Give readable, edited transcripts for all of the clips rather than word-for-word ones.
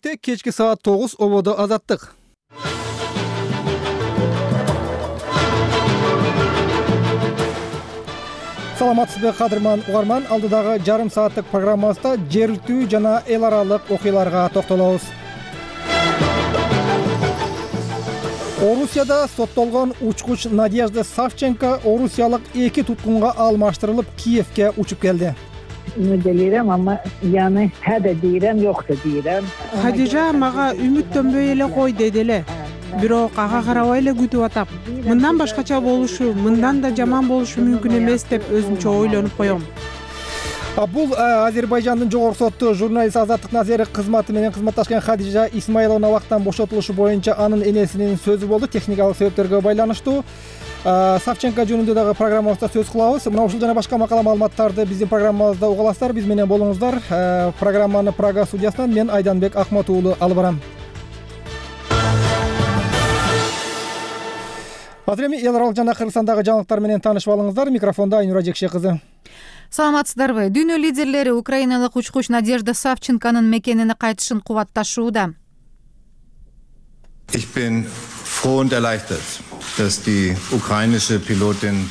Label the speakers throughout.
Speaker 1: Кечки саат 9 ободо азаттык. Саламатсызбы кадырман угарман, алдыдагы жарым сааттык программабызда жергиликтүү жана эл аралык окуяларга токтолобуз. Орусияда соттолгон учкуч Надежда Савченко орусиялык 2 туткунга алмаштырылып Киевге учуп келди.
Speaker 2: Делирем, ama yani he de deyirem, yok da deyirem.
Speaker 3: Хадижа мага үмүттөнбөй эле кой деди эле. Бирок ага карабай эле күтүп атам. Мындан башкача болушу, мындан да жаман болушу мүмкүн эмес деп өзүмчө ойлонуп коем.
Speaker 1: Бул Азербайжандын жогорку соту журналист Азаттык Назери кызматы менен кызматташкан Хадижа Исмаиловна убактан бошотулушу боюнча анын энесинин сөзү болду. Техникалык себептерге байланыштуу Савченко жөнүндө дагы программабызда сөз кылабыз. Мына ушул жана башка макала маалыматтарды биздин программабызда уга аласыздар. Биз менен болуңуздар. Программаны Прага студиясынан мен Айданбек Ахмат уулу алып барам. Азыр эми эл аралык жана Кыргызстандагы жаңылыктар менен таанышып алыңыздар. Микрофондо Айнура Жекше кызы.
Speaker 4: Саламатсыздарбы? Дүйнө лидерлери украиналык учкуч Надежда Савченконун мекенине кайтышын кубатташууда.
Speaker 5: Ich bin froh und erleichtert, dass die ukrainische Pilotin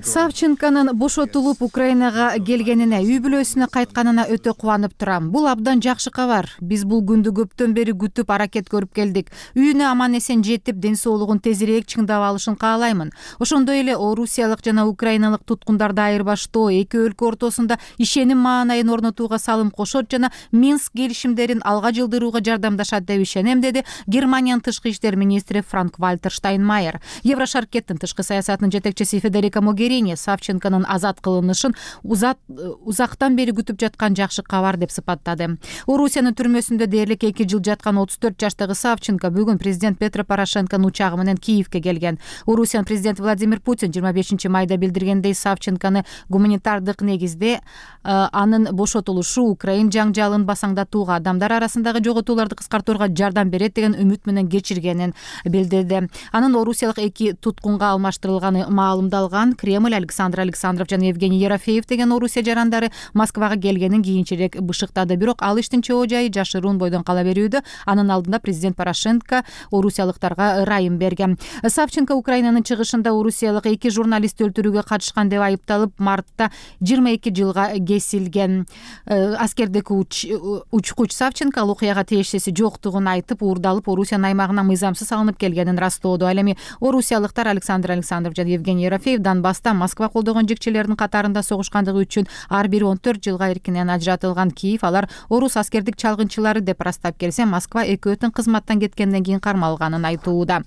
Speaker 4: Савченконун бошотулуп Украинага келгенине, үй бүлөсүнө кайтканына өтө кубанып турам. Бул абдан жакшы кабар. Биз бул күндү көптөн бери күтүп, аракет көрүп келдик. Үйүнө аман эсен жетип, ден соолугун тезирээк чыңдап алышын каалаймын. Ошондой эле орусиялык жана украиналык туткундарды айырбаштоо, эки өлкө ортосунда ишеним маанайын орнотууга салым кошот жана Минск келишимдерин алга жылдырууга жардамдашат деп ишенем, деди Германиянын тышкы иштер министри Франк-Вальтер Штайнмайер. Еврошаркеттин тышкы саясатынын жетекчиси Федерика Могерини Савченконун азат кылынышын узактан бери күтүп жаткан жакшы кабар деп сыпаттады. Орусиянын түрмөсүндө дээрлик 2 жыл жаткан 34 жаштагы Савченко бүгүн президент Петро Порошенконун учагы менен Киевге келген. Орусиянын президенти Владимир Путин 25 майда билдиргендей, Савченкону гуманитардык негизде анын бошотулушу Украин жаңжалын басаңдатууга, адамдар арасындагы жоготууларды кыскартууга жардам берет деген үмүт менен кечиргенин билдирди. Анын орусиялык 2 туткунга алмаштырылганы маалымдалган. Кремль Александр Александров жана Евгений Ерофеев деген Орусия жарандары Москвага келгенин кийинчерээк бышыктады. Бирок ал иштин чоо жайы жашыруун бойдон кала берүүдө. Анын алдында президент Порошенко орусиялыктарга ырайым берген. Савченко Украинанын чыгышында орусиялык 2 журналистти өлтүрүүгө катышкан деп айыпталып, мартта 22 жылга кесилген. Аскердеги учкуч Савченко ал окуяга тиешеси жоктугун айтып, уурдалып, Орусиянын аймагына мыйзамсыз салынып келгенин растоодо. Ал эми орусиялыктар Александр Александров жана Евгений Ерофеев Донбасста Москва колдогон жекчелердин катарында согушкандыгы үчүн ар бири 14 жылга эркинен ажыратылган. Киев алар орус аскердик чалгынчылары деп ырастап келсе, Москва экөөтүн кызматтан кеткенден кийин кармалганын айтууда.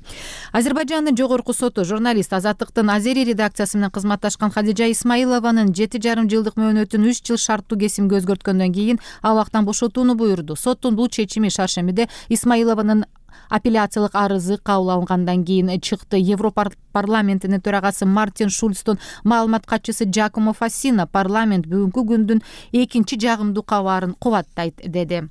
Speaker 4: Азербайжандын жогорку соту журналист Азаттыктын Азери редакциясы менен кызматташкан Хадижа Исмаилованын 7,5 жылдык мөөнөтүн 3 жыл шарттуу кесимге өзгөрткөндөн кийин абактан бошотууну буйрду. Соттун бул чечими шаршембиде Исмаилованын апелляциялык арызы кабыл алынгандан кийин чыкты. Европарламентинин төрагасы Мартин Шульцтун маалымат катчысы Джакомо Фассина парламент бүгүнкү күндүн экинчи жагымдуу кабарын кубаттайт деди.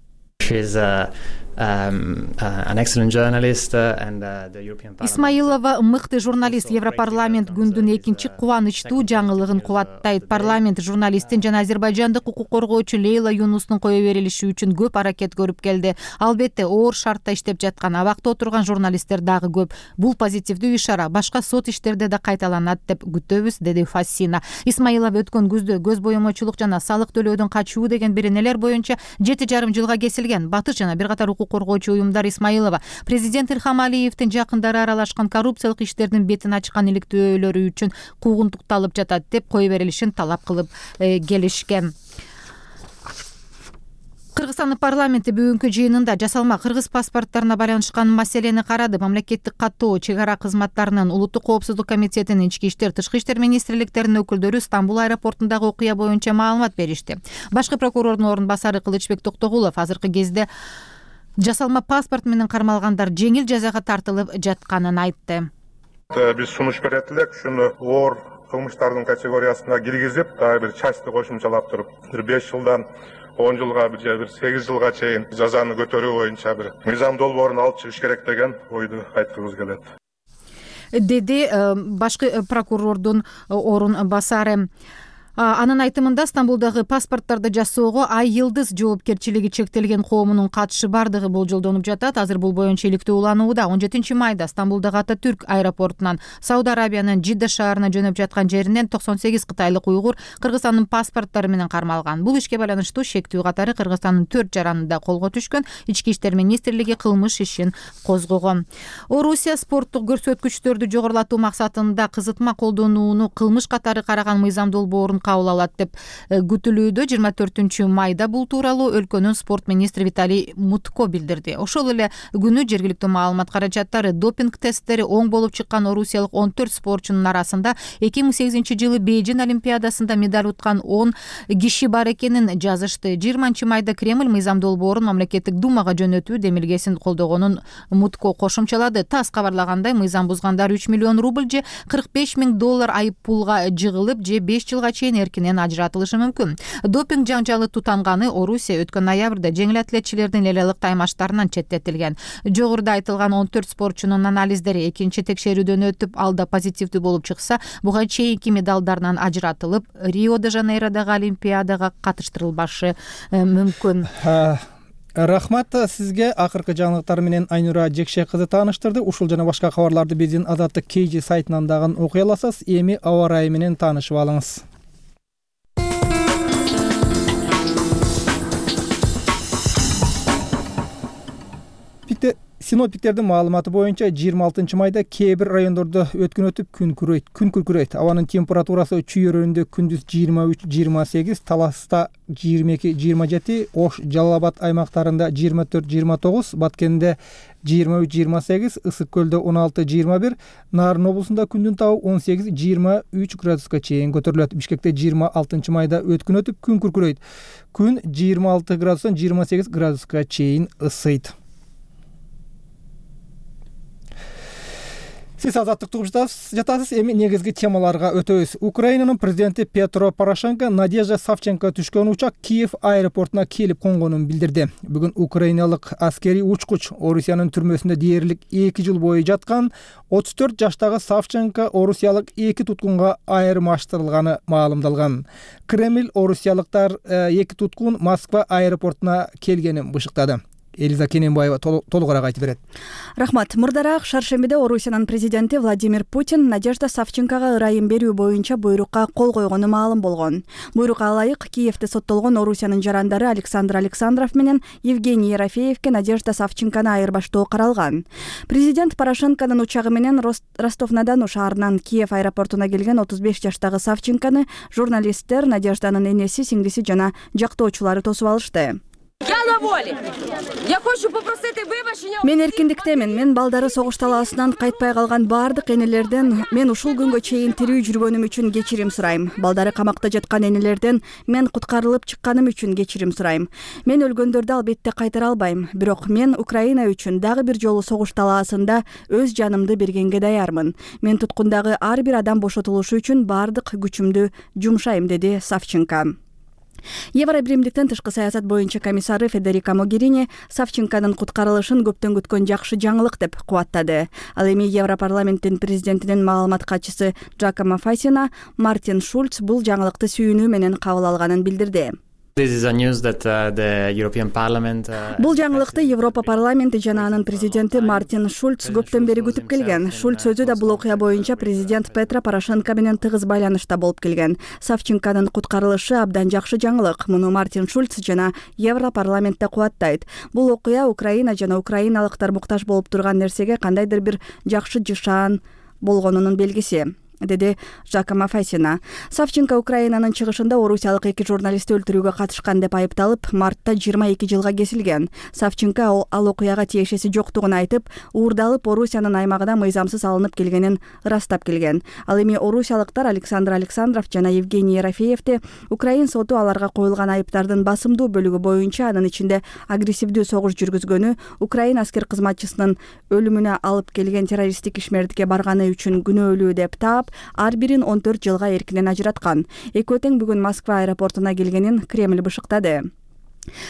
Speaker 4: Исмаилова мыкты журналист. Европарламент күндүн экинчи кубанычтуу жаңылыгын кубаттайт. Парламент журналисттин жана азербайжандык укук коргоочу Лейла Юнустун кое берилиши үчүн көп аракет көрүп келди. Албетте оор шартта иштеп жаткан, абакта отурган журналисттер дагы көп. Бул позитивдүү ишара. Башка сот иштерде да кайталанат деп күтөбүз, деди Фассина. Исмаилова өткөн күздө көз боемочулук жана салык төлөөдөн качуу деген беренелер боюнча 7,5 жылга кесилген. Батыш жана бир катар укук коргоочу уюмдар Исмаилова президент Илхам Алиевдин жакындары аралашкан коррупциялык иштердин бетин ачкан иликтөөлөрү үчүн куугунтукталып жатат деп кое берилишин талап кылып келишкен. Кыргызстандын парламенти бүгүнкү жыйынында жасалма кыргыз паспорттарына байланышкан маселени карады. Мамлекеттик каттоо, чек ара кызматтарынын, улуттук коопсуздук комитетинин, ички иштер, тышкы иштер министрликтеринин өкүлдөрү Стамбул аэропортундагы окуя боюнча маалымат беришти. Башкы прокурордун орун басары Кылычбек Токтогулов азыркы кезде жасалма паспорт менен кармалгандар жеңил жазага тартылып жатканын айтты.
Speaker 6: Биз сунуш берет элек, ушуну оор кылмыштардын категориясына киргизип, дагы бир частты кошумчалап туруп, 5 жылдан 10 жылга бир 8 жылга чейин жазаны көтөрүү боюнча бир мыйзам долбоорун алып чыгыш керек деген ойду айткыбыз келет.
Speaker 4: Деди башкы прокурордун орун басары. Анын айтымында Стамбулдагы паспорттарды жасоого Ай Йылдыз жоопкерчилиги чектелген коомунун катышы бардыгы болжолдонуп жатат. Азыр бул боюнча иликтөө уланууда. 17-майда Стамбулдагы Ататүрк аэропортунан Сауд Арабиянын Жидда шаарына жөнөп жаткан жеринен 98 кытайлык уйгур Кыргызстандын паспорттору менен кармалган. Бул ишке байланыштуу шектүү катары Кыргызстандын 4 жаранында колго түшкөн. Ички иштер министрлиги кылмыш ишин козгогон. Орусия спорттук көрсөткүчтөрдү жогорулатуу максатында кызытма колдонууну кылмыш катары караган мыйзам долбоорун кабыл алат деп күтүлүүдө. 24-майда бул тууралуу өлкөнүн спорт министри Виталий Мутко билдирди. Ошол эле күнү жергиликтүү маалымат каражаттары допинг тесттери оң болуп чыккан орусиялык 14 спортчунун арасында 2008-жылы Бейжин олимпиадасында медаль уткан 10 киши бар экенин жазышты. 20-майда Кремль мыйзам долбоорун мамлекеттик думага жөнөтүү демилгесин колдогонун Мутко кошумчалады. ТАСС кабарлагандай, мыйзам бузгандар 3 миллион рубль же $45 000 айып пулга жыгылып, же 5 жылга чейин эркинен ажыратылышы мүмкүн. Допинг жаңжалы тутанганы Орусия өткөн ноябрда жеңил атлетчилердин лелялык таймаштарынан четтетилген. Жогоруда айтылган 14 спортчунун анализдери экинчи текшерүүдөн өтүп, алда позитивдүү болуп чыкса, буга чейинки медалдарынан ажыратылып, Рио-де-Жанейродогу олимпиадага катыштырылбашы мүмкүн.
Speaker 1: Рахмат сизге. Акыркы жаңылыктар менен Айнура Жекше кызы тааныштырды. Ушул жана башка кабарларды биздин Азаттык KG сайтынан дагы окуй аласыз. Эми аба ырайы менен таанышып алыңыз. Синоптиктердин маалыматы боюнча 26-майда кээ бир райондордо өткөн өтүп күн күркүрөйт. Абанын температурасы Чүй өрөөнүндө күндүз 23-28, Таласта 22-27, Ош, Жалал Абад аймактарында 24-29, Баткенде 23-28, Ысык көлдө 16-21, Нарын облусунда күндүн табы 18-23 градуска чейин көтөрүлөт. Бишкекте 26-майда өткөн өтүп күн күркүрөйт. Күн 26 градустан 28 градуска чейин ысыйт. Сиз азаттыкты угуп жатасыз. Эми негизги темаларга өтөбүз. Украинанын президенти Петро Порошенко Надежда Савченко түшкөн учак Киев аэропортуна келип конгонун билдирди. Бүгүн украиналык аскерий учкуч Орусиянын түрмөсүндө дээрлик 2 жыл бою жаткан 34 жаштагы Савченко орусиялык 2 туткунга айырмаштырылганы маалымдалган. Кремль орусиялыктар 2 туткун Москва аэропортуна келгенин бышыктады. Элиза Кененбаева толугураак айтып берет.
Speaker 7: Рахмат. Мурдараак шаршембиде Орусиянын президенти Владимир Путин Надежда Савченкага ырайым берүү боюнча буйрукка кол койгону маалым болгон. Буйрукка ылайык Киевде соттолгон Орусиянын жарандары Александр Александров менен Евгений Ерофеевке Надежда Савченканы айырбаштоо каралган. Президент Порошенконун учагы менен Ростов-на-Дону шаарынан Киев аэропортуна келген 35 жаштагы Савченканы журналисттер, Надежданын энеси, сиңдиси жана жактоочулары тосуп алышты. Мен эркиндиктемин. Мен балдары согуш талаасынан кайтпай калган бардык энелерден мен ушул күнгө чейин тирүү жүргөнүм үчүн кечирим сурайм. Балдары камакта жаткан энелерден мен куткарылып чыкканым үчүн кечирим сурайм. Мен өлгөндөрдү албетте кайтара албайм, бирок мен Украина үчүн дагы бир жолу согуш талаасында өз жанымды бергенге даярмын. Мен туткундагы ар бир адам бошотулушу үчүн бардык күчүмдү жумшайм, деди Савченко. Евробиримдиктин тышкы саясат боюнча комиссары Федерика Могерини Савченконун куткарылышын көптөн күткөн жакшы жаңылык деп кубаттады. Ал эми Европарламенттин президентинин маалымат катчысы Джакомо Фасина Мартин Шульц бул жаңылыкты сүйүнүү менен кабыл алганын билдирди. Бул жаңылыкты Европа парламенти жана анын президенти Мартин Шульц көптөн бери күтүп келген. Шульц өзү да бул окуя боюнча президент Петро Порошенко менен тыгыз байланышта болуп келген. Савченконун куткарылышы абдан жакшы жаңылык. Муну Мартин Шульц жана Европарламентте кубаттайт. Бул окуя Украина жана украиналыктар муктаж болуп турган нерсеге кандайдыр бир жакшы жышаан болгонунун белгиси, деди Жакомо Фасина. Савченко Украинанын чыгышында орусиялык 2 журналистти өлтүрүүгө катышкан деп айыпталып, мартта 22 жылга кесилген. Савченко ал окуяга тиешеси жоктугун айтып, уурдалып Орусиянын аймагына мыйзамсыз алынып келгенин ырастап келген. Ал эми орусиялыктар Александр Александров жана Евгений Ерофеевди Украин соту аларга коюлган айыптардын басымдуу бөлүгү боюнча, анын ичинде агрессивдүү согуш жүргүзгөнү, Украин аскер кызматчысынын өлүмүнө алып келген террористтик ишмердикке барганы үчүн күнөөлүү деп таап, ар бирин 14 жылга эркинен ажыраткан. Экөө тең бүгүн Москва аэропортуна келгенин Кремль бышыктады.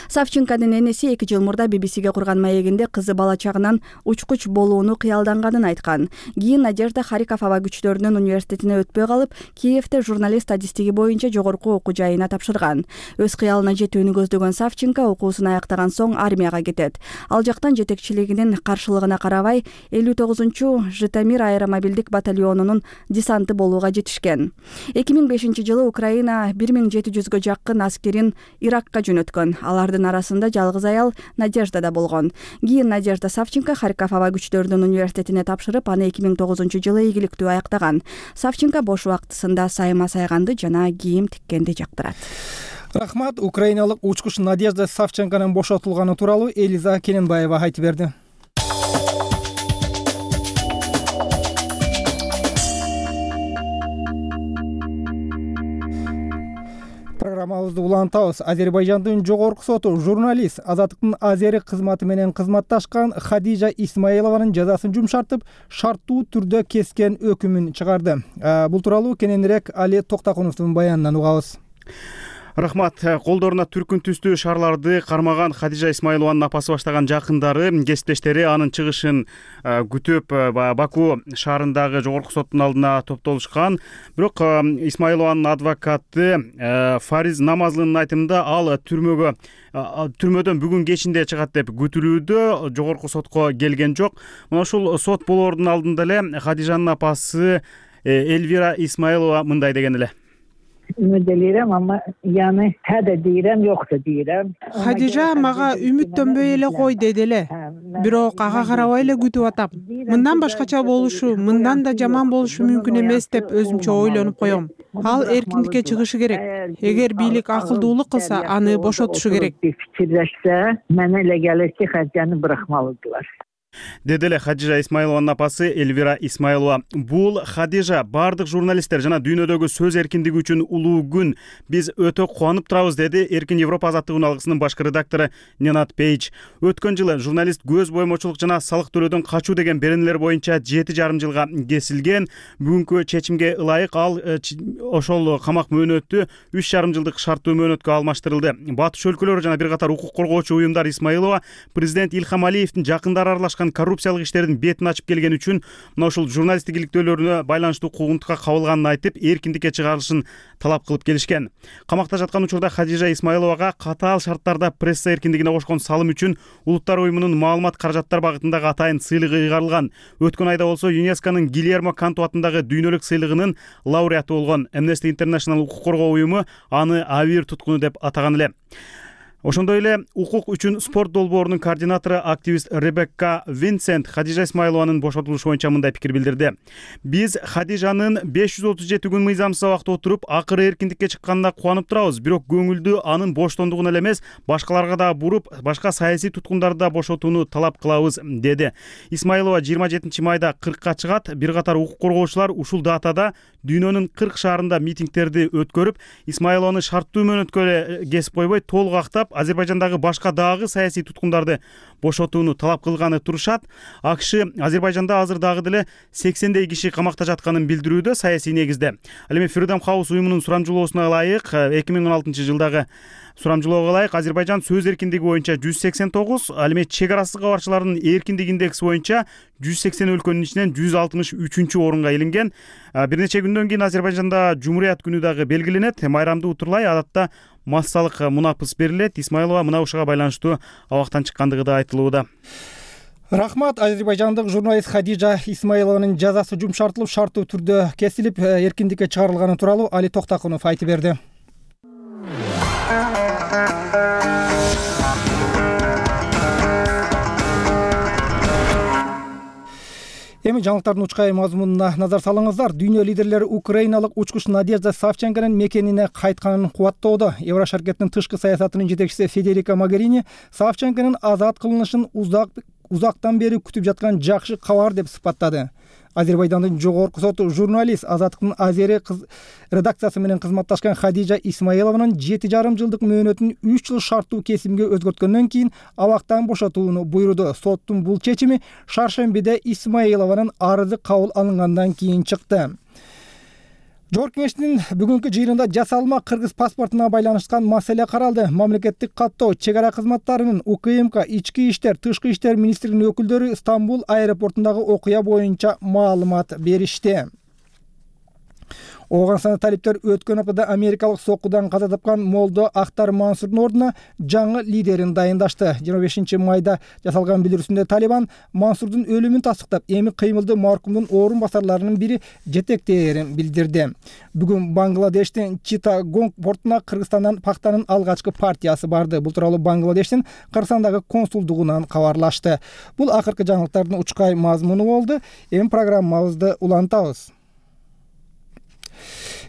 Speaker 7: Савченконун энеси 2 жыл мурда BBC-ге курган маегинде кызы бала чагынан учкуч болууну кыялданганын айткан. Кийин Надежда Харьков аба күчтөрүнүн университетине өтпөй калып, Киевде журналист статистиги боюнча жогорку окуу жайына тапшырган. Өз кыялына жетүүнү көздөгөн Савченко окуусун аяктаган соң армияга кетет. Ал жактан жетекчилигинин каршылыгына карабай 59-чу Житомир аэромобилдик батальонунун десанты болууга жетишкен. 2005-жылы Украина 1700гө жакын аскерин Иракка жөнөткөн. Алардын арасында жалгыз аял Надежда да болгон. Кийин Надежда Савченко Харьков аба күчтөрүнүн университетине тапшырып, аны 2009-жылы ийгиликтүү аяктаган. Савченко бош убактысында сайма сайганды жана кийим тиккенди жактырат.
Speaker 1: Рахмат. Украиналык учкуч Надежда Савченконун бошотулганы тууралуу Элиза Кененбаева айтып берди. Программабызды улантабыз. Азербайжандын жогорку соту журналист Азаттыктын Азери кызматы менен кызматташкан Хадижа Исмаилованын жазасын жумшартып, шарттуу түрдө кескен өкүмүн чыгарды. Бул тууралуу кененирээк Али Токтакуновдун баянынан угабыз.
Speaker 8: Рахмат. Колдоруна түркүн түстүү шаарларды кармаган Хадижа Исмаилованын апасы баштаган жакындары, кесиптештери анын чыгышын күтүп Баку шаарындагы жогорку соттун алдына топтолушкан. Бирок Исмаилованын адвокаты Фариз Намазлынын айтымында ал түрмөдөн бүгүн кечинде чыгат деп күтүлүүдө, жогорку сотко келген жок. Мына ушул сот болоордун алдында эле Хадижанын апасы Эльвира Исмаилова мындай деген эле.
Speaker 2: Ümid eləyirəm, amma yəni hə də deyirəm, yox da deyirəm.
Speaker 3: Хадижа мага үмүттөнбөй эле кой деди эле. Бирок ага карабай эле күтүп атам. Мындан башкача болушу, мындан да жаман болушу мүмкүн эмес деп өзүмчө ойлонуп коем. Ал эркиндикке чыгышы керек. Эгер бийлик акылдуулук кылса, аны бошотушу керек.
Speaker 2: Fikirləşsə, mənə elə gəlir ki, Xədicəni buraxmalıdılar.
Speaker 8: Деди эле Хадижа Исмаилованын апасы Эльвира Исмаилова. Бул Хадижа, бардык журналисттер жана дүйнөдөгү сөз эркиндиги үчүн улуу күн. Биз өтө кубанып турабыз, деди Эркин Европа азаттыгын алгысынын башкы редактору Ненат Пейдж. Өткөн жылы журналист көз боймочулук жана салык төлөөдөн качуу деген беренелер боюнча 7,5 жылга кесилген. Бүгүнкү чечимге ылайык ал ошол камак мөөнөтү 3,5 жылдык шарттуу мөөнөткө алмаштырылды. Батыш өлкөлөрү жана бир катар укук коргоочу уюмдар Исмаилова президент Илхам Алиевдин жакындары аралашкан коррупциялык иштердин бетин ачып келген үчүн мына ушул журналисттик иликтөөлөрүнө байланыштуу куугунтукка кабылганын айтып, эркиндикке чыгарылышын талап кылып келишкен. Камакта жаткан учурда Хадижа Исмаиловага катаал шарттарда пресса эркиндигине кошкон салым үчүн Улуттар уюмунун маалымат каражаттар багытындагы атайын сыйлыгы ыйгарылган. Өткөн айда болсо ЮНЕСКОнун Гильермо Канту атындагы дүйнөлүк сыйлыгынын лауреаты болгон Amnesty International укук коргоо уюму аны Авир туткуну деп атаган эле. Ошондой эле укук үчүн спорт долбоорунун координатору активист Ребекка Винсент Хадижа Исмаилованын бошотулушу боюнча мындай пикир билдирди. Биз Хадижанын 537 күн мыйзамсыз абакта отуруп, акыры эркиндикке чыкканына кубанып турабыз. Бирок көңүлдү анын боштондугуна эле эмес, башкаларга да буруп, башка саясий туткундарды да бошотууну талап кылабыз, деди. Исмаилова 27-майда 40-ка чыгат. Бир катар укук коргоочулар ушул датада дүйнөнүн 40 шаарында митингдерди өткөрүп, Исмаилованы шарттуу мөөнөткө кесип койбой, толук актап, Азербайжандагы башка дагы саясий туткундарды бошотууну талап кылганы турушат. АКШ Азербайжанда азыр дагы деле 80дей киши камакта жатканын билдирүүдө саясий негизде. Ал эми Freedom House уюмунун сурамжылоосуна ылайык 2016-жылдагы сурамжылоого ылайык Азербайжан сөз эркиндиги боюнча 189, ал эми чек арасы кабарчылардын эркиндик индекси боюнча 180 өлкөнүн ичинен 163-орунга илинген. Бир нече күндөн кийин Азербайжанда Жумурият күнү дагы белгиленет. Майрамды утурлай адатта массалык мунапыс берилет. Исмаилова мына ушуга байланыштуу абактан чыккандыгы да айтылууда.
Speaker 1: Рахмат. Азербайжандык журналист Хадижа Исмаилованын жазасы жумшартылып, шарттуу түрдө кесилип, эркиндикке чыгарылганы тууралуу Али Токтакунов айтып берди. Эми жаңылыктардын учкай мазмунуна назар салыңыздар. Дүйнө лидерлери украиналык учкуч Надежда Савченконун мекенине кайтканын кубаттоодо. Еврошаркеттин тышкы саясатынын жетекчиси Федерика Могерини Савченконун азат кылынышын узактан бери күтүп жаткан жакшы кабар деп сыпаттады. Азербайжандын жогорку соту журналист Азаттыктын Азери редакциясы менен кызматташкан Хадижа Исмаилованын 7,5 жылдык мөөнөтүн 3 жыл шарттуу кесимге өзгөрткөндөн кийин абактан бошотууну буйруду. Соттун бул чечими шаршембиде Исмаилованын арызы кабыл алынгандан кийин чыкты. Жогорку Кеңештин бүгүнкү жыйынында жасалма кыргыз паспортуна байланышкан маселе каралды. Мамлекеттик каттоо, чек ара кызматтарынын, УКМК, ички иштер, тышкы иштер министрлигинин өкүлдөрү Стамбул аэропортундагы окуя боюнча маалымат беришти. Ооганстанда талиптер өткөн аптада америкалык соккудан каза тапкан молдо Ахтар Мансурдун ордуна жаңы лидерин дайындашты. 25 майда жасалган билдирүүсүндө Талибан Мансурдун өлүмүн тастыктап, эми кыймылды маркумдун орун басарларынын бири жетектээрин билдирди. Бүгүн Бангладештин Читтагонг портуна Кыргызстандан пактанын алгачкы партиясы барды. Бул тууралуу Бангладештин Кыргызстандагы консулдугунан кабарлашты. Бул акыркы жаңылыктардын учкай мазмуну болду. Эми программабызды улантабыз.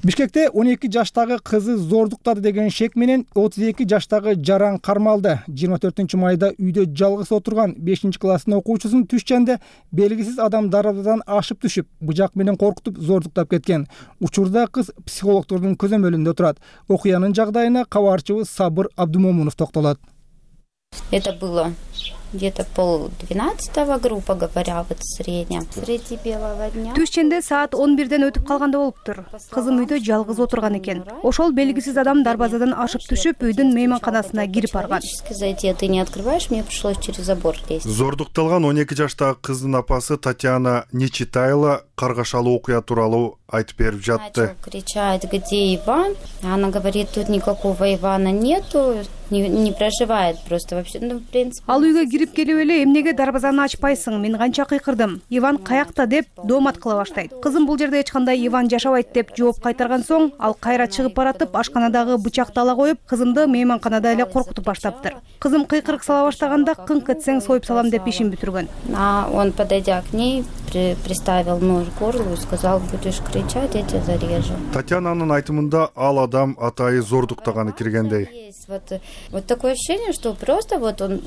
Speaker 1: Бишкекте 12 жаштагы кызы зордуктады деген шек менен 32 жаштагы жаран кармалды. 24 майда үйдө жалгыз отурган 5-класстын окуучусун түшчөндө белгисиз адам дарбазадан ашып түшүп, быжак менен коркутуп зордуктап кеткен. Учурда кыз психологдордун көзөмөлүндө турат. Окуянын жагдайына кабарчыбыз Сабыр Абдумомунов токтолот.
Speaker 9: Это было где-то 11:30, грубо говоря, вот среднем. Среди белого дня.
Speaker 10: Түшчөндө саат 11ден өтүп калганда болуптур. Кызым үйдө жалгыз отурган экен. Ошол белгисиз адам дарбазадан ашып түшүп, үйдүн мейманканасына кирип барган.
Speaker 9: Зайти, ты не открываешь, мне пришлось через забор лезть.
Speaker 11: Зордукталган 12 жаштагы кыздын апасы Татьяна Нечитайла каргашалуу окуя тууралуу айтып берип жатты.
Speaker 9: Начал кричать: где Иван? Она говорит: тут никакого Ивана нету, не проживает просто вообще. Ну, в принципе.
Speaker 10: Ал үйгө кирип келип эле эмнеге дарбазаны ачпайсың? Мен канча кыйкырдым. Иван каякта деп доомат кыла баштайт. Кызым бул жерде эч кандай Иван жашабайт деп жооп кайтарган соң, ал кайра чыгып баратып, ашканадагы бычакты ала коюп, кызымды мейманканада эле коркутуп баштаптыр. Кызым кыйкырык сала баштаганда кыңк этсең союп салам деп ишин бүтүргөн.
Speaker 9: Он, подойдя к ней, приставил нож к горлу и сказал: будешь кричать, я тебя зарежу.
Speaker 11: Татьянанын айтымында ал адам атайы зордуктаганы киргендей.
Speaker 9: Вот такое ощущение, что просто вот он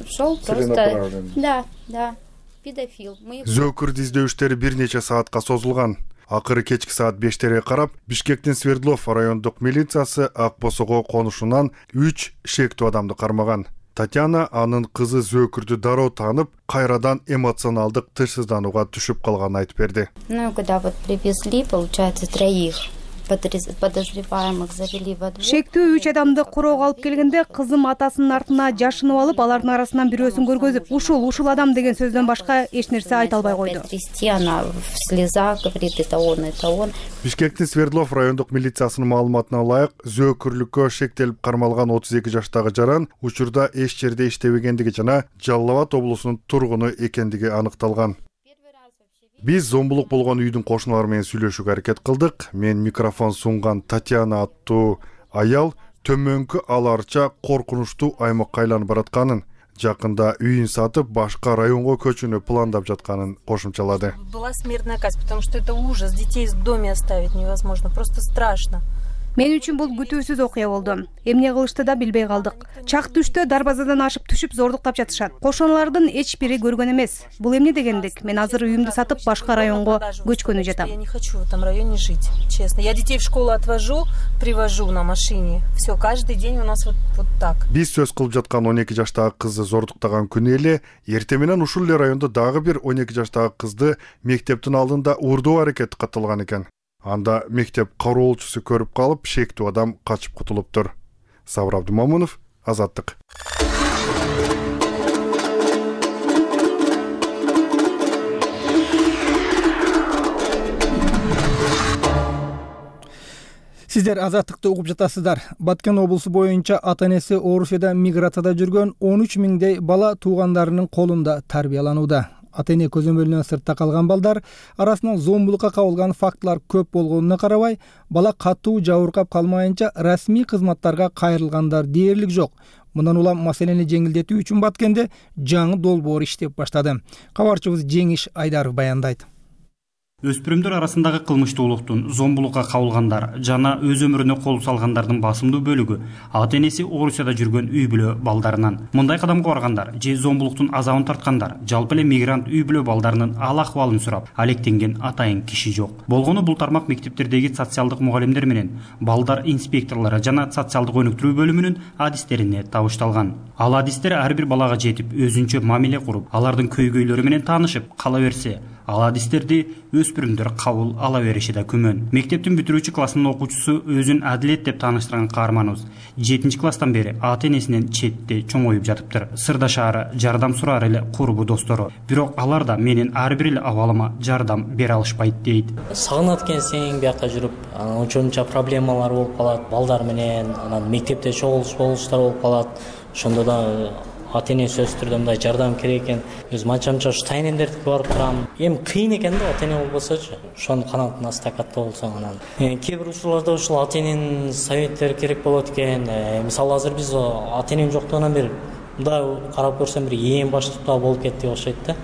Speaker 9: шел просто. Да, педофил.
Speaker 11: Зөөкүрдү издөөштөрү бир нече саатка созулган. Акыры кечки саат 5-терге карап, Бишкектин Свердлов райондук милициясы Ак Босого конушунан 3 шектүү адамды кармаган. Татьяна анын кызы зөөкүрдү дароо таанып, кайрадан эмоционалдык тынчсызданууга түшүп калганын айтып берди.
Speaker 9: Ну, когда вот привезли, получается, 3 подозреваемых завели во двор.
Speaker 10: Шектүү 3 адамды короого алып келгенде, кызым атасынын артына жашынып алып, алардын арасынан бирөөсүн көргөзүп, ушул адам деген сөздөн башка эч нерсе айта албай койду.
Speaker 9: Она в слезах говорит: это он.
Speaker 11: Бишкектин Свердлов райондук милициясынын маалыматына ылайык, зөөкүрлүккө шектелип кармалган 32 жаштагы жаран учурда эч жерде иштебегендиги жана Жалал Абад облусунун тургуну экендиги аныкталган. Биз зомбулук болгон үйдүн кошуналары менен сүйлөшүүгө аракет кылдык. Мен микрофон сунган Татьяна аттуу аял төмөнкү аларча коркунучтуу аймакка айланып баратканын, жакында үйүн сатып башка районго көчүүнү пландап жатканын кошумчалады.
Speaker 12: Была смертная казнь, потому что это ужас. Детей в доме оставить невозможно, просто страшно.
Speaker 10: Мен үчүн бул күтүүсүз окуя болду. Эмне кылышты да билбей калдык. Чак түштө дарбазадан ашып түшүп зордуктап жатышат. Кошуналардын эч бири көргөн эмес. Бул эмне дегендик? Мен азыр үйүмдү сатып башка районго көчкөнү жатам.
Speaker 12: Я не хочу в этом районе жить, честно. Я детей в школу отвожу, привожу на машине. Все, каждый день у нас вот так.
Speaker 11: Биз сөз кылып жаткан 12 жаштагы кызды зордуктаган күнү эле эртең менен ушул эле райондо дагы бир 12 жаштагы кызды мектептин алдында урдоо аракети катталган экен. Анда мектеп кароолчусу көрүп калып, шектүү адам качып кутулуптур. Сабыр Абдумомунов, Азаттык.
Speaker 1: Сиздер Азаттыкты угуп жатасыздар. Баткен облусу боюнча ата-энеси Орусияда миграцияда жүргөн 13 миңдей бала туугандарынын колунда тарбияланууда. Ата-эне көзөмөлүнөн сыртта калган балдар арасынан зомбулукка кабылган фактылар көп болгонуна карабай, бала катуу жабыркап калмайынча расмий кызматтарга кайрылгандар дээрлик жок. Мындан улам маселени жеңилдетүү үчүн Баткенде жаңы долбоор иштеп баштады. Кабарчыбыз Жеңиш Айдаров баяндайт.
Speaker 8: Өспүрүмдөр арасындагы кылмыштуулуктун, зомбулукка кабылгандар жана өз өмүрүнө кол салгандардын басымдуу бөлүгү ата-энеси Орусияда жүргөн үй бүлө балдарынан. Мындай кадамга баргандар же зомбулуктун азабын тарткандар, жалпы эле мигрант үй бүлө балдарынын ал-акыбалын сурап, алектенген атайын киши жок. Болгону бул тармак мектептердеги социалдык мугалимдер менен балдар инспекторлору жана социалдык өнүктүрүү бөлүмүнүн адистерине табышталган. Ал адистер ар бир балага жетип, өзүнчө мамиле куруп, алардын көйгөйлөрү менен таанышып, кала берсе, Ал адистерди өспүрүмдөр кабыл ала бериши да күмөн. Мектептин бүтүрүүчү классынын окуучусу өзүн адилет деп тааныштырган каарманыбыз 7 класстан бери ата энесинен четте чоңоюп жатыптыр. Сырдашаары, жардам сураар эле курбу достору. Бирок алар да менин ар бир эле абалыма жардам бере алышпайт дейт.
Speaker 13: Сагынат экенсиң биякка жүрүп, ошончо проблемалар болуп калат. Балдар менен анан мектепте чогулуштар болуп калат. Ошондо да ата эне сөзсүз түрдө мындай жардам керек экен. Өз манчамча ушу тайнендердикке барып турам. Эми кыйын экен да ата эне болбосочу. Ошонун канатына астына катта болсоң анан. Кээ бир учурларда ушул ата эненин советтери керек болот экен. Мисалы азыр биз ата энем жоктугунан бери мындай карап көрсөм бир эң баштыкта болуп кетти окшойт да.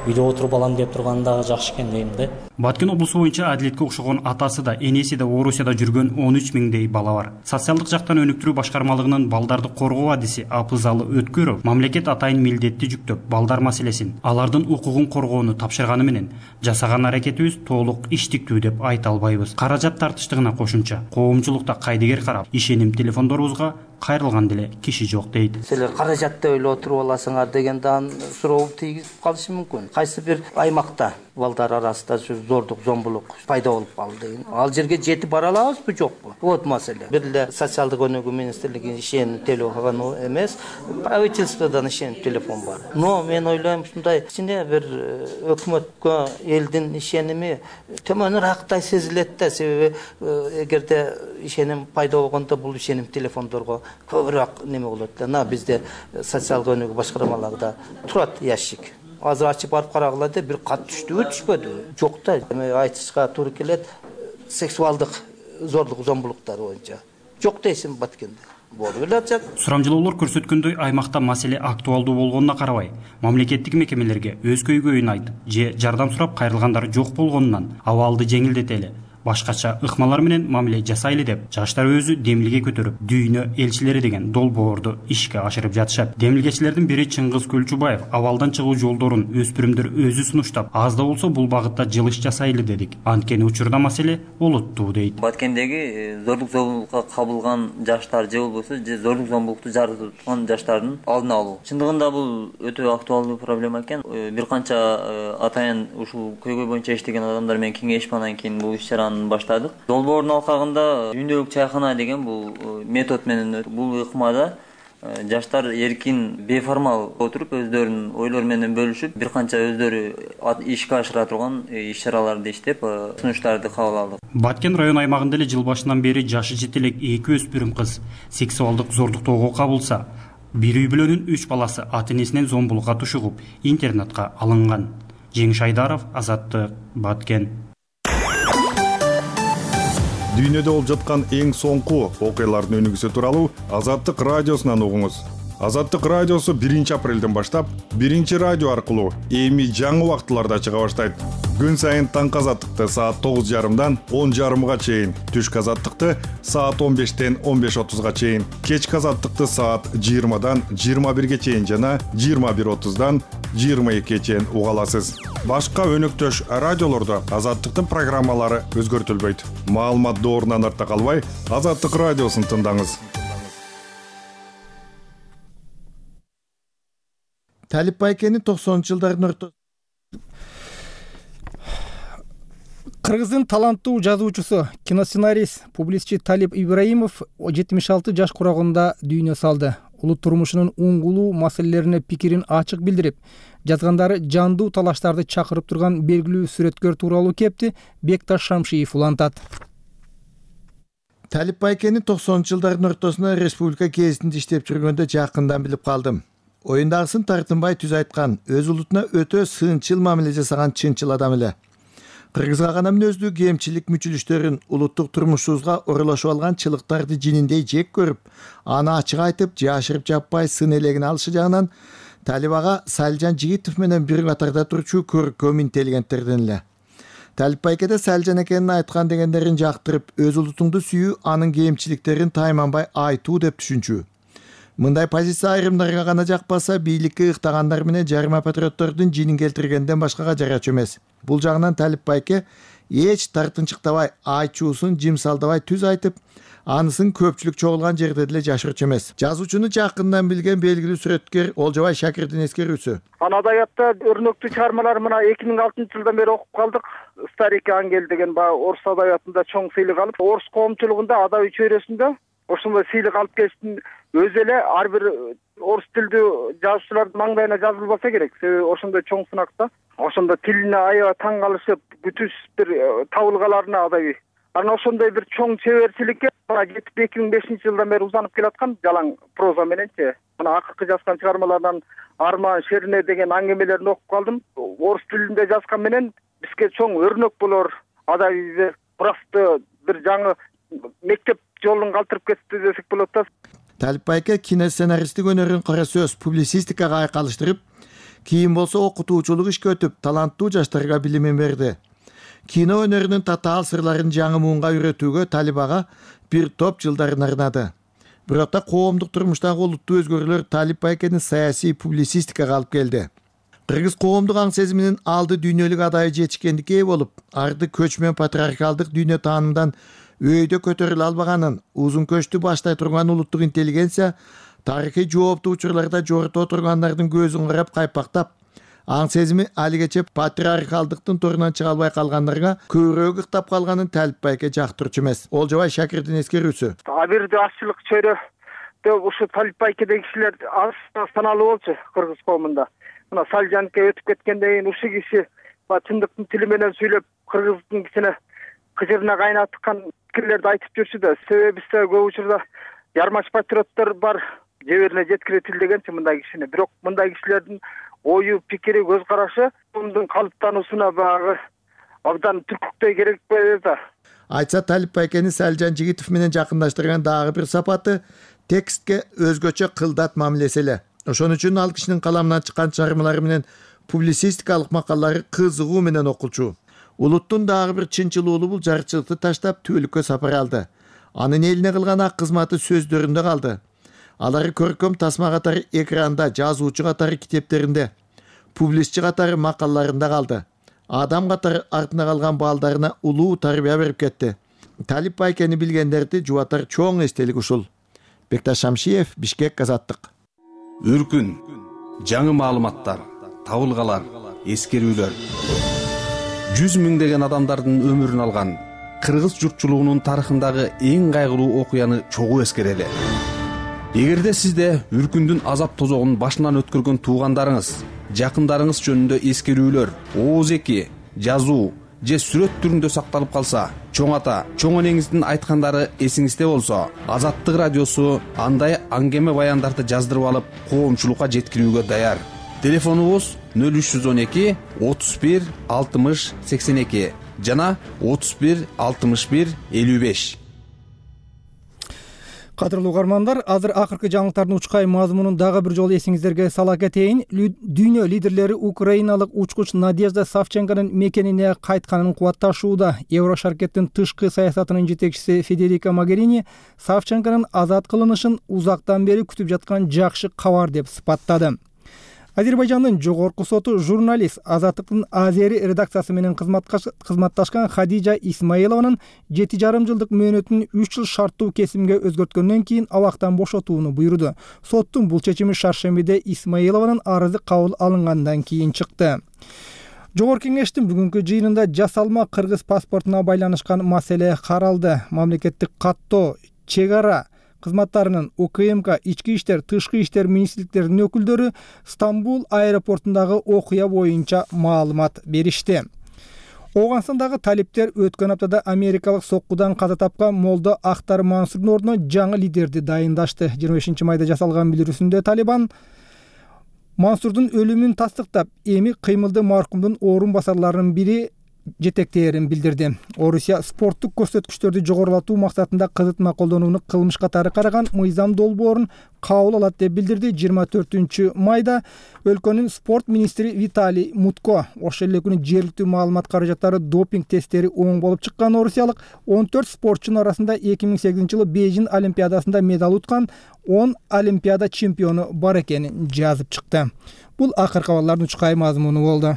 Speaker 13: Үйдө отуруп алам деп турган дагы жакшы экен дейм да.
Speaker 8: Баткен облусу боюнча адилетке окшогон атасы да, энеси да Орусияда жүргөн 13 миңдей бала бар. Социалдык жактан өнүктүрүү башкармалыгынын балдарды коргоо адиси Апызалы Өткөров мамлекет атайын милдетти жүктөп, балдар маселесин, алардын укугун коргоону тапшырганы менен жасаган аракетибиз толук иштиктүү деп айта албайбыз. Каражат тартыштыгына кошумча, коомчулукта кайдыгер карап, ишеним телефондорубузга кайрылган деле киши жок дейт.
Speaker 14: Силер каражатты ойлоп отуруп аласыңар деген суроо тийгизип калышы мүмкүн. Кайсы бир аймакта балдар арасында зордук, зомбулук пайда болуп калды. Ал жерге жетип бара алабызбы, жокпу? Вот маселе. Бир эле социалдык өнүгүү министрлигинин ишеним телефону эмес, правительстводон ишеним телефон бар. Но мен ойлойм, ушундай кичине бир өкмөткө элдин ишеними төмөнүрөөктай сезилет да, себеби эгерде ишеним пайда болгондо бул ишеним телефондорго көбүрөөк неме болот да. Бизде социалдык өнүгүү башкармаларында турат ящик. Азыр ачып барып карагыла деп бир кат түштүбү, түшпөдү? Жок да. Эми айтышка туура келет. Сексуалдык зордук, зомбулуктар боюнча. Жок дейсиң Баткенде. Болуп эле атат.
Speaker 8: Сурамжылоолор көрсөткөндөй, аймакта маселе актуалдуу болгонуна карабай, мамлекеттик мекемелерге өз көйгөйүн айтып, же жардам сурап кайрылгандар жок болгонунан абалды жеңилдетели, башкача ыкмалар менен мамиле жасайлы деп жаштар өзү демилге көтөрүп, дүйнө элчилери деген долбоорду ишке ашырып жатышат. Демилгечилердин бири Чыңгыз Көлчүбаев абалдан чыгуу жолдорун өспүрүмдөр өзү сунуштап, аз да болсо бул багытта жылыш жасайлы дедик. Анткени учурда маселе олуттуу дейт.
Speaker 15: Баткендеги зордук зомбулукка кабылган жаштар же болбосо зордук зомбулукту жаратып турган жаштардын алдын алуу. Чындыгында бул өтө актуалдуу проблема экен. Бир канча атайын ушул көйгөй боюнча иштеген адамдар менен кеңешип анан кийин бул иш-чараны баштадык. Долбоордун алкагында дүйнөлүк чайкана деген бул метод менен бул ыкмада жаштар эркин, беформал отуруп өздөрүнүн ойлору менен бөлүшүп, бир канча өздөрү ишке ашыра турган иш-чараларды иштеп, сунуштарды кабыл алдык.
Speaker 8: Баткен район аймагында эле жыл башынан бери жашы жете элек 2 өспүрүм кыз сексуалдык зордуктоого кабылса, бир үй бүлөнүн 3 баласы ата энесинен зомбулукка тушугуп, интернатка алынган. Жеңиш Айдаров, Азаттык, Баткен.
Speaker 11: Дүйнөдө болуп жаткан эң соңку окуялардын өнүгүүсү тууралуу Азаттык радиосунан угуңуз. Азаттык радиосу 1 апрелден баштап 1 радио аркылуу эми жаңы убактыларда чыга баштайт. Күн сайын таңкы азаттыкты саат 9:30дан 10:30га чейин, түшкү азаттыкты саат 15-тен 15:30га чейин, кечки азаттыкты саат 20-дан 21-ге чейин жана 21:30-дан 22-ге чейин уга аласыз. Башка өнөктөш радиолордо азаттыктын программалары өзгөртүлбөйт. Маалымат доорунан артта калбай, Азаттык радиосун тыңдаңыз.
Speaker 16: Талип Байкенин 90-жылдардын ортосунда
Speaker 1: Кыргыздын таланттуу жазуучусу, киносценарист, публицистчи Талип Ибраимов 76 жаш курагында дүйнө салды. Улут турмушунун уңгулуу маселелерине пикирин ачык билдирип, жазгандары жандуу талаштарды чакырып турган белгилүү сүрөткөр тууралуу кепти Бекташ Шамшиев улантат.
Speaker 16: Талип Байкенин 90-жылдардын ортосунда республика гезитинде иштеп жүргөндө жакындан билип калдым. Оюндагысын тартынбай түз айткан, өз улутуна өтө сынчыл мамиле жасаган чынчыл адам эле. Кыргызга гана мүнөздүү кемчилик мүчүлүштөрүн, улуттук турмушубузга оролошуп алган чылыктарды жининдей жек көрүп, аны ачык айтып, жашырып жаппай сын элегин алышы жагынан Талип ага Салжан Жигитов менен бир катарда турчу көркөм интеллигенттерден эле. Талип Байкеде Салжан экенин айткан дегендерин жактырып, өз улутуңду сүйүү, анын кемчиликтерин тайманбай айтуу деп түшүнчү. Мындай позиция айрымдарга гана жакпаса, бийликке ыктагандар менен жарыма патриоттордун жинин келтиргенден башкага жарачу эмес. Бул жагынан Талип Байке эч тартынчыктабай, айчуусун жимсалдабай түз айтып, анысын көпчүлүк чогулган жерде деле жашырчу эмес. Жазуучуну жакындан билген белгилүү сүрөткер Олжобай Шакирдин эскерүүсү.
Speaker 17: Адабиятта өрнөктүү чыгармалар мына 2006-жылдан бери окуп калдык. Старик ангел деген орус адабиятында чоң сыйлык алып, орус коомчулугунда адабий чөйрөсүндө ошондой сыйлык алып келиштин өзү эле ар бир орус тилдүү жазуучулардын маңдайына жазылбаса керек. Себеби ошондой чоң сынакта, ошондо тилине аябай таң калышып, бүтүс бир табылгаларына адабий. Анан ошондой бир чоң чеберчиликке 2005-жылдан бери узанып келаткан жалаң проза мененчи. Мына акыркы жазган чыгармалардан Арман Шерине деген аңгемелерин окуп калдым. Орус тилинде жазган менен бизге чоң өрнөк болор адабий мурасты бир жаңы мектеп жолун калтырып кетти десек болот да.
Speaker 16: Талип байке киносценаристтик өнөрүн кара сөз публицистикага айкалыштырып, кийин болсо окутуучулук ишке өтүп, таланттуу жаштарга билимин берди. Кино өнөрүнүн татаал сырларын жаңы муунга үйрөтүүгө Талип ага бир топ жылдарын арнады. Бирок да коомдук турмуштагы олуттуу өзгөрүүлөр Талип байкени саясий публицистикага алып келди. Кыргыз коомдук аң сезиминин алды дүйнөлүк адайы жетишкендикке ээ болуп, арды көчмөн патриархалдык дүйнө таанымдан өйдө көтөрүлө албаганын, узун көчтү баштай турган улуттук интеллигенция тарыхый жооптуу учурларда жогорто отургандардын көзүн карап кайпактап, аң сезими алигече патриархалдыктын торунан чыга албай калгандарга көбүрөөк ыктап калганын Талип байке жактырчу эмес. Олжобай Шакирдин эскерүүсү.
Speaker 17: Абирде ашчылык чөйрөдө ушу Талип байкедеги кишилер аз саналуу болчу кыргыз коомунда. Мына Салжанке өтүп кеткенден кийин ушул киши чындыктын тили менен сүйлөп, кыргыздын кичине кыжырына кайнаткан пикирлерди айтып жүрчү да. Себеби бизде көп учурда жармаш патриоттор бар, жеберине жеткире тилдегенчи мындай кишини. Бирок мындай кишилердин ою, пикири, көз карашы коомдун калыптануусуна багы абдан түркүктөй керек да.
Speaker 16: Айтса Талип байкени Салжан Жигитов менен жакындаштырган дагы бир сапаты текстке өзгөчө кылдат мамилеси эле. Ошон үчүн ал кишинин каламынан чыккан чыгармалары менен публицистикалык макалалары кызыгуу менен окулчу. Улуттун дагы бир чынчылуулуу бул жарчылыкты таштап түбөлүккө сапар алды. Анын элине кылган ак кызматы сөздөрүндө калды. Алары көркөм тасма катары экранда, жазуучу катары китептеринде, публицистчи катары макалаларында калды. Адам катары артына калган балдарына улуу тарбия берип кетти. Талип байкени билгендерди жубатар чоң эстелик ушул. Бекташ Шамшиев, Бишкек, Азаттык.
Speaker 18: Үркүн, жаңы маалыматтар, табылгалар, эскерүүлөр. 100 миңдеген адамдардын өмүрүн алган кыргыз журтчулугунун тарыхындагы эң кайгылуу окуяны чогуу эскерели. Эгерде сизде үркүндүн азап тозогун башынан өткөргөн туугандарыңыз, жакындарыңыз жөнүндө эскерүүлөр, ооз-эки, жазуу же сүрөт түрүндө сакталып калса, чоң ата, чоң энеңиздин айткандары эсиңизде болсо, Азаттык радиосу андай аңгеме баяндарды жаздырып алып, коомчулукка жеткирүүгө даяр. Телефонубуз 0312 31 60 82 жана 31 61 55.
Speaker 1: Кадырлуу угармандар, азыр акыркы жаңылыктардын учкай мазмунун дагы бир жолу эсиңиздерге сала кетейин. Дүйнө лидерлери украиналык учкуч Надежда Савченконун мекенине кайтканын кубатташууда. Еврошаркеттин тышкы саясатынын жетекчиси Федерика Могерини Савченконун азат кылынышын узактан бери күтүп жаткан жакшы кабар деп сыпаттады. Азербайжандын жогорку соту журналист Азаттыктын Азери редакциясы менен кызматташкан Хадижа Исмаилованын 7,5 жылдык мөөнөтүн 3 жыл шарттуу кесимге өзгөрткөндөн кийин абактан бошотууну буйруду. Соттун бул чечими шаршембиде Исмаилованын арызы кабыл алынгандан кийин чыкты. Жогорку кеңештин бүгүнкү жыйынында жасалма кыргыз паспортуна байланышкан маселе каралды. Мамлекеттик каттоо, чек ара кызматтарынын УКМК, ички иштер, тышкы иштер министрликтеринин өкүлдөрү Стамбул аэропортундагы окуя боюнча маалымат беришти. Ооганстандагы талиптер өткөн аптада америкалык соккудан каза тапкан Молдо Ахтар Мансурдун ордуна жаңы лидерди дайындашты. 25 майда жасалган билдирүүсүндө Талибан Мансурдун өлүмүн тастыктап, эми кыймылды маркумдун орун басарларынын бири жетектээрин билдирди. Орусия спорттук көрсөткүчтөрдү жогорулатуу максатында кызытма колдонууну кылмыш катары караган мыйзам долбоорун кабыл алат деп билдирди. 24 майда өлкөнүн спорт министри Виталий Мутко ошол эле күнү жергиликтүү маалымат каражаттары допинг тесттери оң болуп чыккан орусиялык 14 спортчунун арасында 2008-жылы Бейжин олимпиадасында медаль уткан 10 олимпиада чемпиону бар экенин жазып чыкты. Бул акыркы кабарлардын учкай мазмуну болду.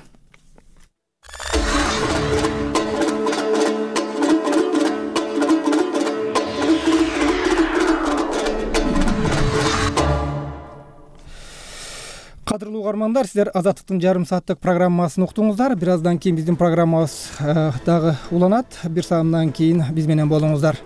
Speaker 1: кадырлуу угармандар, сиздер Азаттыктын жарым сааттык программасын уктуңуздар. Бир аздан кийин биздин программабыз дагы уланат. Бир саамдан кийин биз менен болуңуздар.